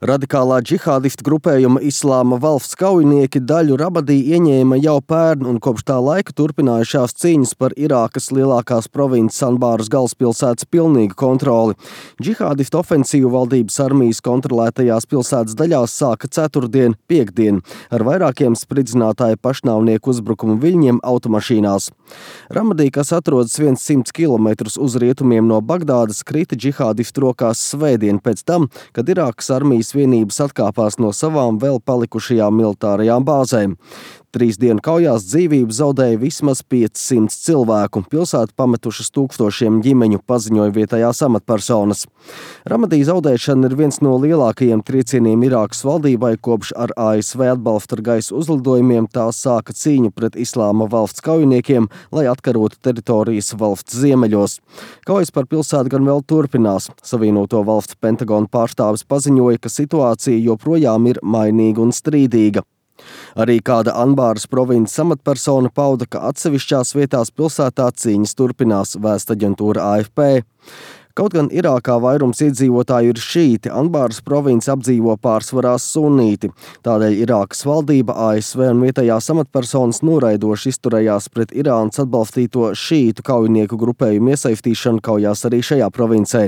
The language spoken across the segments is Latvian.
Radikālā džihādistu grupējuma Islāma valsts kaujinieki daļu Rabadī ieņēma jau pērn un kopš tā laika turpinājušās cīņas par Irākas lielākās provinces Anbāras galvaspilsētas pilnīgu kontroli. Džihādistu ofensīvu valdības armijas kontrolētajās pilsētas daļās sāka ceturtdien, piektdien, ar vairākiem spridzinātāju pašnāvnieku uzbrukumu viļņiem automašīnās. Ramadī, kas atrodas 100 km uz rietumiem no Bagdādas, krita džihādistu rokās svētdien pēc tam, kad Irākas armijas vienības atkāpās no savām vēl palikušajām militārajām bāzēm. 3 dienu kaujās dzīvību zaudēja vismaz 500 cilvēku. Pilsētu pametušas tūkstošiem ģimeņu, paziņoja vietējās amatpersonas. Ramadī zaudēšana ir viens no lielākajiem triecieniem Irākas valdībai, kopš ar ASV atbalstu ar gaisa uzlidojumiem tā sāka cīņu pret Islāma valsts kaujiniekiem, lai atkarotu teritorijas valsts ziemeļos. Kaujas par pilsētu gan vēl turpinās. Savienoto valstu Pentagona pārstāvis paziņoja, ka situācija joprojām ir mainīga un strīdīga. Arī kāda Anbāras provinces amatpersona pauda, ka atsevišķās vietās pilsētā cīņas turpinās, vēsta aģentūra AFP. Kaut gan Irākā vairums iedzīvotāju ir šīti, Anbāras provinci apdzīvo pārsvarā sunīti. Tādēļ Irākas valdība, ASV un vietējās amatpersonas noraidoši izturējās pret Irānas atbalstīto šītu kaujinieku grupējumu iesaistīšanu kaujās arī šajā provincē.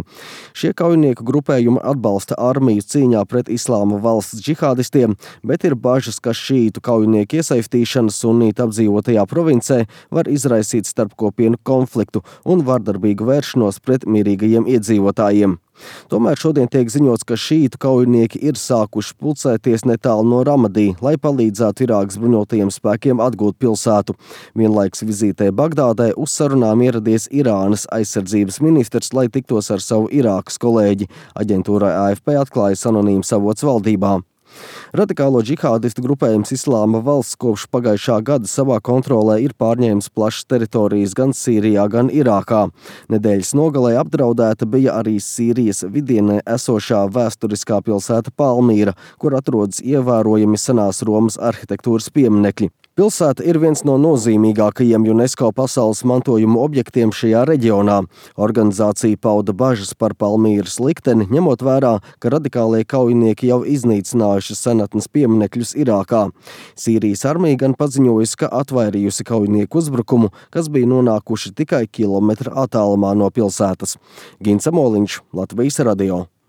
Šie kaujinieku grupējumi atbalsta armiju cīņā pret Islāma valsts džihādistiem, bet ir bažas, ka šītu kaujinieku iesaistīšana sunīti apdzīvotajā provincē var izraisīt starpkopienu konfliktu un vardarbīgu vēršanos pret mierīgajiem iedzīvotājiem. Tomēr šodien tiek ziņots, ka šītu kaujinieki ir sākuši pulcēties netālu no Ramadī, lai palīdzētu Irākas bruņotajiem spēkiem atgūt pilsētu. Vienlaikus vizītē Bagdādē uz sarunām ieradies Irānas aizsardzības ministrs, lai tiktos ar savu Irākas kolēģi. Aģentūrai AFP atklājas anonīms avots valdībā. Radikālo džihādistu grupējums Islāma valsts kopš pagājušā gada savā kontrolē ir pārņēmis plašas teritorijas gan Sīrijā, gan Irākā. Nedēļas nogalē apdraudēta bija arī Sīrijas vidienē esošā vēsturiskā pilsēta Palmīra, kur atrodas ievērojami senās Romas arhitektūras pieminekļi. Pilsēta ir viens no nozīmīgākajiem UNESCO pasaules mantojuma objektiem šajā reģionā. Organizācija pauda bažas par Palmīras likteni, ņemot vērā, ka radikālie kaujinieki jau iznīcinājuši senatnes pieminekļus Irākā. Sīrijas armija gan paziņojusi, ka atvairījusi kaujinieku uzbrukumu, kas bija nonākuši tikai kilometra attālumā no pilsētas. Gins Amoliņš, Latvijas radio.